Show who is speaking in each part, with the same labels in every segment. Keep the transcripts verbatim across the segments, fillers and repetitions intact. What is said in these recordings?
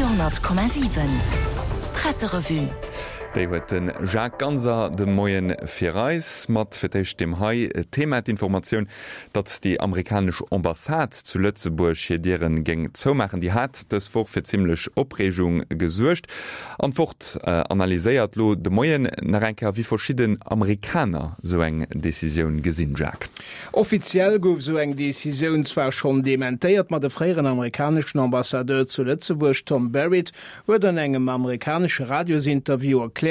Speaker 1: Radio honnert Komma siwen Presserevue.
Speaker 2: Déi huet de Jacques Ganser de Moien fir eis mat fir d'éischt deem hei Thema, d'Informatioun, datt déi amerikanesch Ambassade zu Lëtzebuerg hir Dieren géing zoumaachen, déi hat dës Woch fir zimlech Opreegung gesuergt. An d'Wort analyséiert lo de Moien nach eng Kéier, wéi verschidden Amerikaner sou eng Decisioun gesinn. Jacques.
Speaker 3: Offiziell gouf sou eng Decisioun zwar schonn dementéiert, ma de fréieren amerikaneschen Ambassadeur zu Lëtzebuerg, Tom Barrett, huet an engem amerikanesche Radiosinterview erkläert,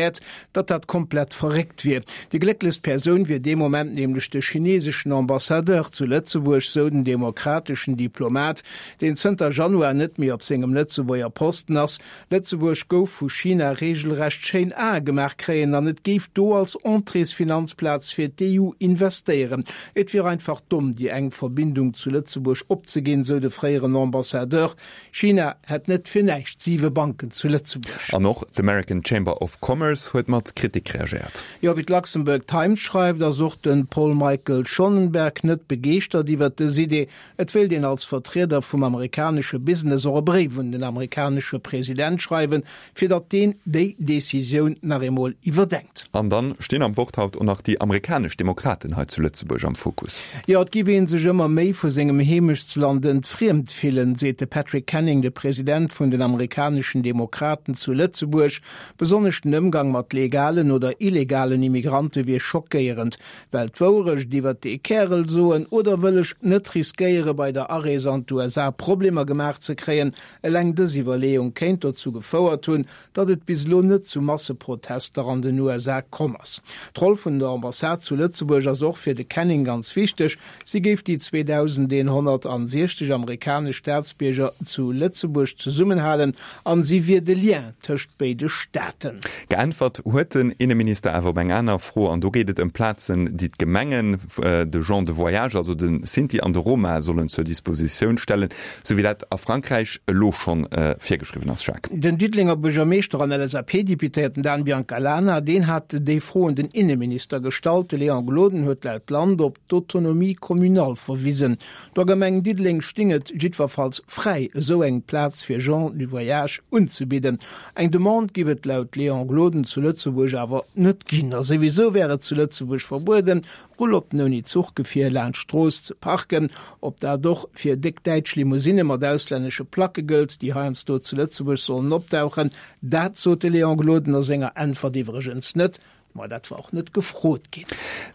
Speaker 3: datt dat komplett verréckt wier. Déi glécklechst Persoun wier dee Moment nämlech de chineseschen Ambassadeur zu Lëtzebuerg, sou den demokrateschen Diplomat, deen zënter Januar net méi op sengem Lëtzebuerger Posten ass. Lëtzebuerg gouf vu China reegelrecht schéin Ae gemaach kréien an et géif do als Entréesfinanzplaz fir d'E U investéieren. Et wier einfach domm, déi enk Verbindung zu Lëtzebuerg opzeginn, sou de fréieren Ambassadeur. China hätt net fir näischt siwe Banken zu Lëtzebuerg.
Speaker 2: An och d'American Chamber of Commerce huet mat Kritik reagéiert.
Speaker 3: Jo, wéi d'Luxembourg Times schreift, ass och de Paul Michael Schonenberg net begeeschtert iwwert dës Idee. Et wéilt een als Vertrieder vum amerikanesche Business och e Bréif un den amerikanesche President schreiwen, fir datt deen déi Decisioun nach eemol iwwerdenkt.
Speaker 2: An dann stinn am Wort haut och nach déi amerikanesch Demokraten hei zu Lëtzebuerg am Fokus.
Speaker 3: Jo, et giff ee sech ëmmer méi vu sengem Heemechtsland entfriemt fillen, seet de Patrick Canning, de President vun den amerikaneschen Demokraten zu Lëtzebuerg. Besonnesch den Ëmgang mat legalen oder illegalen Immigrante wier schockéierend. Well d'Wourecht iwwert dee Kärel soen oder wëll ech net riskéiere bei der Arees an d'U S A Problemer gemaach ze kréien? Eleng dës Iwwerleeung kéint dozou gefouert hunn, datt et bis elo net zu Masseprotester an den U S A komm ass. D'Roll vun der Ambassade zu Lëtzebuerg ass och fir de Canning ganz wichteg. Si géif déi zweedausendeenhonnertsiechzeg amerikanesch Staatsbierger zu Lëtzebuerg zesummenhalen an si wier de Lien tëscht béide Staaten.
Speaker 2: Geäntwert huet den Inneminister awer op eng aner Fro, an do geet et ëm Plazen, déi d'Gemengen de Gens de voyage, also de Sinti an de Roma, sollen zur Dispositioun stellen, sou wéi dat a Frankräich elo schonn virgeschriwwen ass. Jacques.
Speaker 3: Den Diddelenger Buergermeeschter an L S A P-Deputéierten Dan Biancalana, deen hat déi Fro un den Inneminister gestallt. De Léon Gloden huet laut Land op d'Autonomie communale verwisen. Der Gemeng Diddeleng sting et jiddwerfalls fräi, esou eng Plaz fir Gens du voyage unzebidden. Eng Demande giff et laut Léon Gloden zu Lëtzebuerg awer net ginn. A souwisou wär et zu Lëtzebuerg verbueden, Roulotten ouni Zuchgefier laanscht d'Strooss ze parken. Ob dat och fir déck däitsch Limousine mat auslännesche Placke gëllt, déi heiansdo zu Lëtzebuerg sollen opdauchen, dat sot de Léon Gloden a senger Äntwert iwwregens net. Ma dat war och net gefrot ginn.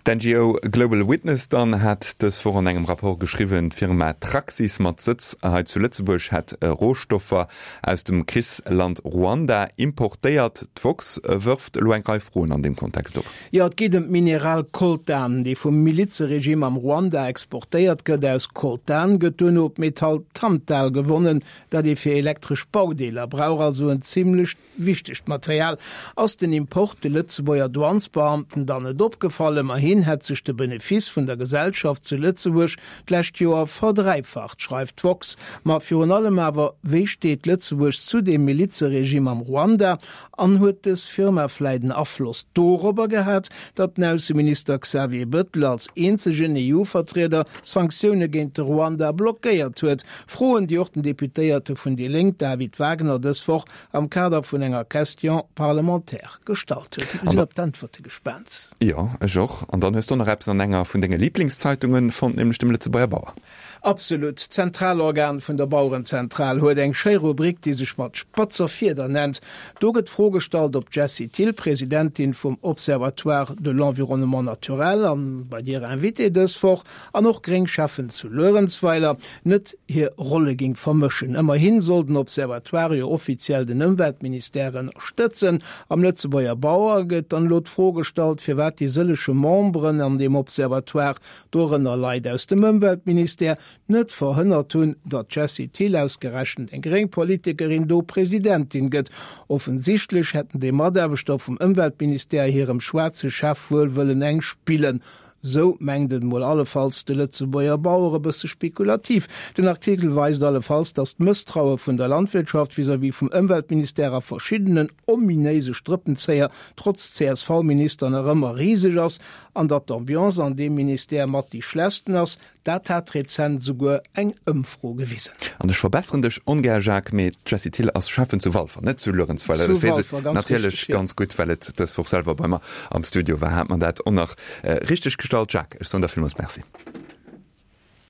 Speaker 2: D'N G O Global Witness dann hat dës Woch an engem Rapport geschriwwen, d'Firma Traxys mat Sëtz hei zu Lëtzebuerg hätt Rohstoffer aus dem Krichsland Ruanda importéiert. D'Vox wërft elo eng Rei Froen an deem Kontext op.
Speaker 3: Jo, et geet ëm d'Mineral Coltan, déi vum Milizeregime am Ruanda exportéiert gëtt. Aus Coltan gëtt duerno d'Metall Tantal gewonnen, dat ee fir elektresch Baudeeler brauch, also en zimmlech wichtegt Material. Ass den Import de Lëtzebuerger Douanesbeamten dann net opgefall? Ëmmerhin hätt sech de Benefice vun der Gesellschaft zu Lëtzebuerg d'lescht Joer verdräifacht, schreift d'Vox. Ma virun allem awer, wéi steet Lëtzebuerg zu dem Milizeregime am Ruanda? An huet dës Firma vläit en Afloss dorobber gehat, datt den Ausseminister Xavier Bettel als eenzegen E U-Vertrieder Sanktioune géint de Ruanda blockéiert huet? Froen, déi och den Deputéierte vun déi Lénk David Wagner dës Woch am Kader vun enger Question parlementaire gestallt huet. Mir sinn op d'Äntwerte gespaant.
Speaker 2: Jo, ech och. An dann hues du nach eppes an enger vun denge Lieblingszeitungen fonnt, nämlech dem Lëtzebuerger Bauer.
Speaker 3: Absolut. D'Zentralorgan vun der Bauerenzentral huet eng schéi Rubrik, déi sech mat spatzer Fieder nennt. Do gëtt d'Fro gestallt, ob Jessie Thill, Presidentin vum Observatoire de l'environnement naturel an bei dir Invité dës Woch, an och Gréngcheffen zu Luerenzweiler, net hir Rolle ging vermëschen. Ëmmerhin soll den Observatoire jo offiziell den Ëmweltministère ënnerstëtzen. Am Lëtzebuerger Bauer gëtt dann elo d'Fro gestallt, firwat déi sëllege Memberen an dem Observatoire, dorënner Leit aus dem Ëmweltministère, net verhënnert hunn, datt Jessie Thill ausgerechent eng gréng Politikerin do Presidentin gëtt. Offensichtlech hätten déi Mataarbechter vum Ëmweltministère hirem schwaarze Chef wuel wëllen eng spillen. Sou mengt et mol allefalls de Lëtzebuerger Bauer, e bësse spekulativ. Den Artikel weist allefalls, datt d'Mësstraue vun der Landwirtschaft vis-à-vis vum Ëmweltministère a verschiddenen ominéise Strëppenzéier trotz C S V-Minister nach ëmmer riseg ass an datt d'Ambiance an deem Ministère mat déi schlechtsten ass, dat hat rezent souguer eng Ëmfro gewisen.
Speaker 2: An ech verbesseren dech ongär, Jacques, mee d'Jessie Thill ass Schäffen zu Walfer, net zu Luerenzweiler.
Speaker 3: Zu Walfer, ganz
Speaker 2: natierlech
Speaker 3: richteg, jo.
Speaker 2: Ganz gutt, well et dës Woch selwer bei mer am Studio war, hat mer dat och nach richteg gestallt. Jacques, ech soen der villmools Merci.